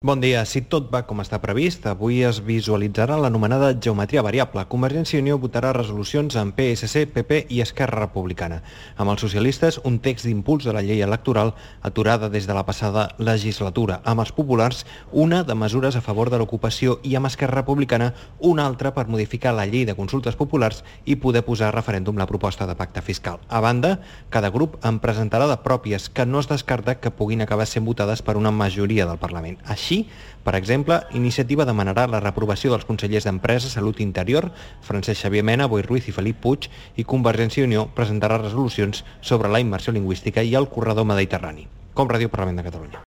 Bon dia. Si tot va com està previst, avui es visualitzarà l'anomenada geometria variable. Convergència i Unió votarà resolucions amb PSC, PP i Esquerra Republicana. Amb els socialistes, un text d'impuls de la llei electoral aturada des de la passada legislatura. Amb els populars, una de mesures a favor de l'ocupació i amb Esquerra Republicana, una altra per modificar la llei de consultes populars i poder posar a referèndum la proposta de pacte fiscal. A banda, cada grup en presentarà de pròpies que no es descarta que puguin acabar sent votades per una majoria del Parlament. Així, per exemple, Iniciativa demanarà la reprovació dels consellers d'Empresa, Salut i Interior, Francesc Xavier Mena, Boi Ruiz i Felip Puig, i Convergència i Unió presentarà resolucions sobre la immersió lingüística i el corredor mediterrani. Com Ràdio Parlament de Catalunya.